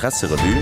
Presserevue.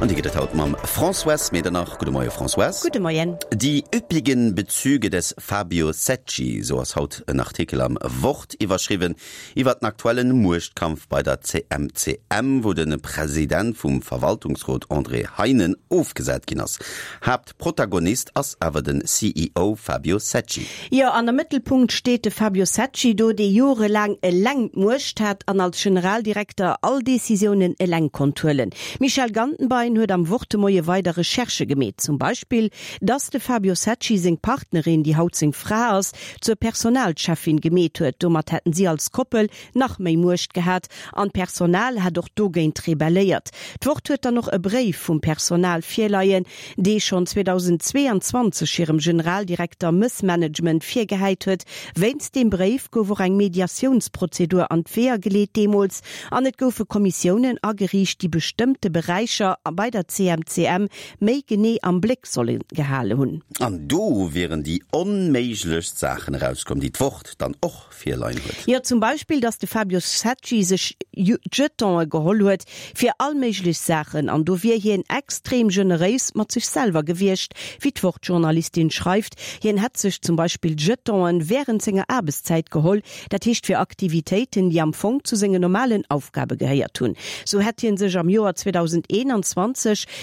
An déi gëtt et haut mam Françoise Medernach. Gudde Moie Françoise. Gudde Moien. Die üppigen Bezüge des Fabio Secci, sou ass haut en Artikel am Wort iwwerschriwwen, iwwer den aktuellen Muechtkampf bei der CMCM, wou de President vum Verwaltungsrot André Heinen ofgesat ginn ass. Haaptprotagonist ass awer den CEO Fabio Secci. Jo, an am Mëttelpunkt steet de Fabio Secci do, dee jorelaang eleng d'Muecht hat an als Generaldirekter all Decisiounen eleng konnt huelen. D'Michèle Gantenbein huet am Wort de Moie weider Recherchë gemeet, zum Beispill, dass de Fabio Secci seng Partnerin, déi haut seng Fra ass, zur Personalcheffin gemeet huet. Domat hätten si als Koppel nach méi Muecht gehat an d'Personal hätt och dogéint rebelléiert. D'Wort huet dann och e Bréif vum Personal virleien, dee schonn 2022 hirem Generaldirekter Mëssmanagement virgehäit huet. Wéinst deem Bréif gouf och eng Mediatiounsprozedur an d'Weeër geleet deemools an et goufe Kommissiounen ageriicht, déi bestëmmte Beräicher bei der CMCM méi genee am Bléck solle gehale hunn. An do wieren déi onméiglechst Saachen erauskomm, déi d'Wort dann och virleien huet. Jo, zum Beispill, datt de Fabio Secci sech Jetonë geholl huet fir all méiglech Saachen an do wier hien extrem generéis mat sech selwer gewiescht, wéi d'Wort-Journalistin schreift. Hien hätt sech zum Beispill Jetonen wärend senger Aarbechtszäit geholl, dat heescht fir Aktivitéiten, déi am Fong zu sengen normalen Aufgabe gehéiert hunn. Sou hätt hien sech am Joer 2021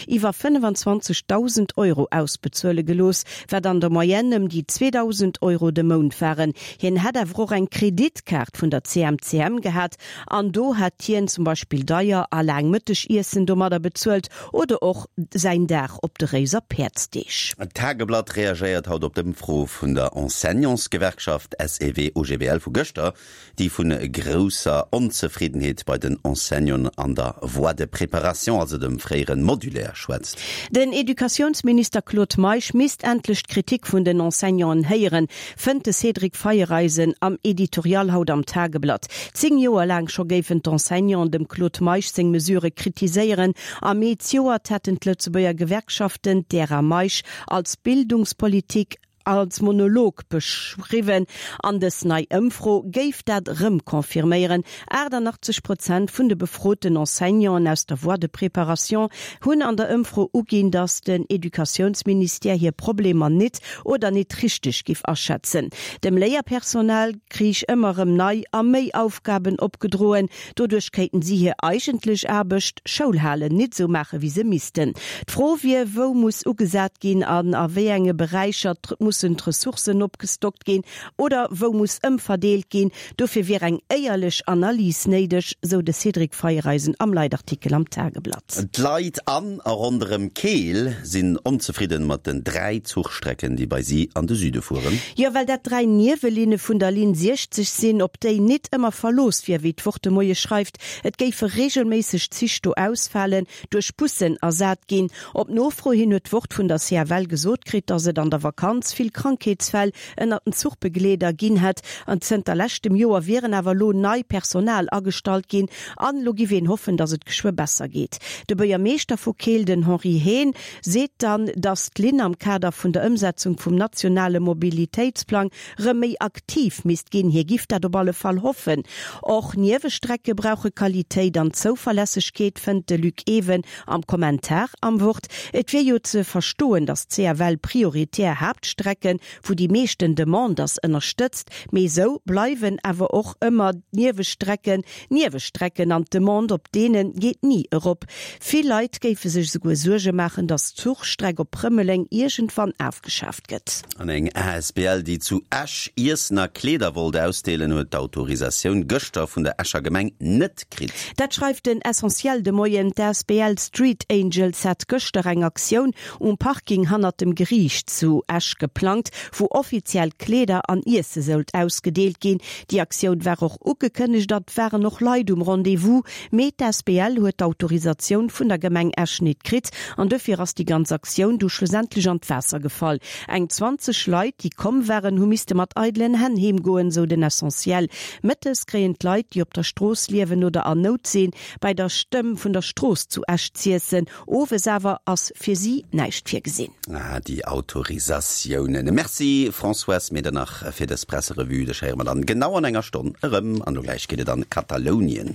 iwwer 25.000 Euro ausbezuele gelooss, wat an der Moyenne ëm déi 2.000 Euro de Mount waren. Hien hätt awer och eng Kreditkaart vun der CMCM gehat an do hätt hien zum Beispill deier a laang Mëttegiessen domadder bezuelt oder och säin Dag op de Réiser Päerdsdeeg. D'Tageblatt reagéiert haut op d'Ëmfro vun der Enseignantsgewerkschaft SEW-OGBL vu gëschter, déi vu grousser Onzefriddenheet bei den Enseignanten an der Voie de préparation, also dem fréiere Modulaire, schwätzt. Den Educatiounsminister Claude Meisch misst endlech d'Kritik vun den Enseignanten héieren, fënnt de Cédric Feiereisen am Editorial haut am Tageblatt. 10 Joer laang scho géifen d'Enseignanten dem Claude Meisch seng Mesurë kritiséieren. Am Mee zejoert hätten d'Lëtzebuerger Gewerkschaften d'Ära Meisch als Bildungspolitik als Monolog beschriwwen an dës nei Ëmfro géif dat erëm confirméieren. 88 Prozent vun de befroten Enseignanten aus der Voie de préparation hunn an der Ëmfro uginn, datt den Educatiounsministère hir Problemer nit oder nit richteg giff aschätzen. Dem Léierpersonal kriich ëmmer erëm nei a méi Aufgaben opgedroen. Doduerch kéinten si hir eigentlech Aarbecht, Schoul halen, nit esou maache wéi se missten. D'Fro wier, wou muss ugesat ginn an a wéi enge Beräicher mussen d'Ressourcen opgestockt ginn oder wou muss ëmverdeelt ginn. Dofir wier eng éierlech Analys néideg, sou de Cédric Feiereisen am Leitartikel am Tageblatt. D'Leit an a ronderëm Keel sinn onzefridden mat den 3 Zuchstrecken, déi bei si an de Süde fueren. Jo, well dat 3 Niewelinne vun der Linn 60 sinn, op déi nit ëmmer Verlooss wier, wéi d'Wort de Moie schreift. Et géife reegelméisseg Zich do ausfalen, duerch Bussen ersat ginn. Op Nofro hin huet d'Wort vun der CFL gesot kritt, datt et an der Vakanz vill Krankheetsfäll ënnert den Zuchbegleeder ginn hätt. An zënter leschtem Joer wieren awer elo nei Personal agestallt ginn an elo giff een hoffen, datt et geschwë besser geet. De Buergermeeschter vu Keel, den Henri Haine, seet dann, datt d'Linn am Kader vun der Ëmsetzung vum nationale Mobilitéitsplang rëm méi aktiv misst ginn. Hie giff dat op alle Fall hoffen. Och Niewestrecke brauche Qualitéit an Zouverlässegkeet, fënnt de Luc Ewen am Kommentar am Wort. Et wier jo ze verstoen, datt d'CFL prioritär Haaptstrecken, wou déi meeschten Demande ass, ënnerstëtzt, mee esou bleiwen awer och ëmmer d'Niewestrecken Niewestrecken an d'Demande op deene geet ni erop. Vill Leit géife sech esouguer Suerge maachen, datt d'Zuchstreck op Rëmeleng iergendwann afgeschaaft gëtt. An eng asbl, déi zu Esch Iessen a Kleeder wollt ausdeelen, huet d'Autorisatioun gëschter vun der Escher Gemeng net kritt. Dat schreift den Essentiel de Moien. D'asbl Street Angels hat gëschter eng Aktioun um Parking hannert dem Geriicht zu Esch geplangt, wou offiziell Kleeder an Iesse sollt ausgedeelt ginn. Déi Aktioun war och ugekënnegt an et waren och Leit um Rendez-vous, mee d'asbl huet d'Autorisatioun vun der Gemeng Esch nit kritt an dofir ass déi ganz Aktioun du schlussendlech an d'Waasser gefall. Eng 20 Leit, déi komm waren, hu misste mat eidelen Hänn heem goen, sou den Essentiel. Mëttes kréien d'Leit, déi op der Strooss liewen oder an Nout sinn, bei der Stëmm vun der Strooss zu Esch z'iessen. Owes awer ass fir si näischt virgesinn. Ah, déi Autorisatioun. Relatiounen. Merci Françoise Medernach fir dës Presserevue. Dech héiere mer dann genau an enger Stonn erëm. An elo gläich geet et an Katalounien.